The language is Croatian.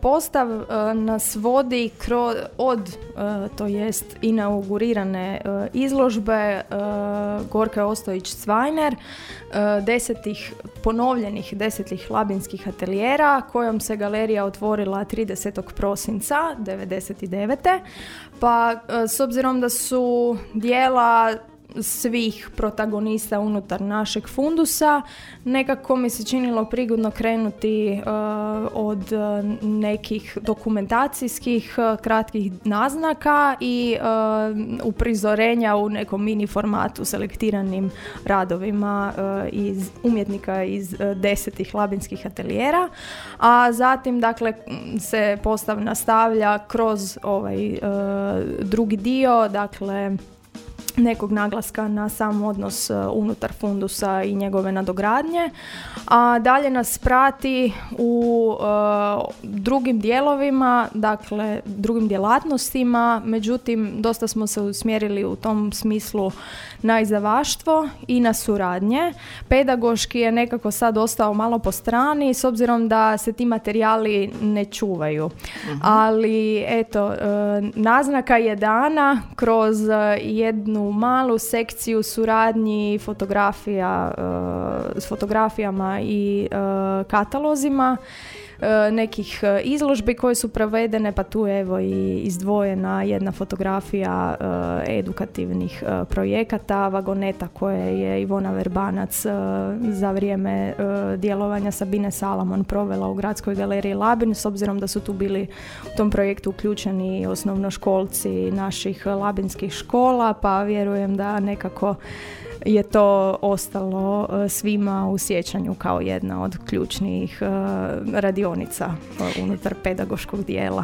postav nas vodi to jest inaugurirane izložbe Gorke Ostojić-Cvajner, ponovljenih 10 labinskih atelijera, kojom se galerija otvorila 30. prosinca 1999. Pa s obzirom da su dijela svih protagonista unutar našeg fundusa, nekako mi se činilo prigodno krenuti od nekih dokumentacijskih kratkih naznaka i uprizorenja u nekom mini formatu selektiranim radovima iz umjetnika iz 10 labinskih atelijera, a zatim dakle se postav nastavlja kroz ovaj drugi dio, dakle nekog naglaska na sam odnos unutar fundusa i njegove nadogradnje, a dalje nas prati u drugim dijelovima, dakle drugim djelatnostima, međutim dosta smo se usmjerili u tom smislu na izdavaštvo i na suradnje. Pedagoški je nekako sad ostao malo po strani s obzirom da se ti materijali ne čuvaju. Ali eto, naznaka je dana kroz jednu malu sekciju suradnji s fotografijama i katalozima nekih izložbi koje su provedene, pa tu je evo i izdvojena jedna fotografija edukativnih projekata Vagoneta koje je Ivona Verbanac za vrijeme djelovanja Sabine Salamon provela u Gradskoj galeriji Labin, s obzirom da su tu bili u tom projektu uključeni osnovnoškolci naših labinskih škola, pa vjerujem da nekako je to ostalo svima u sjećanju kao jedna od ključnih radionica unutar pedagoškog dijela.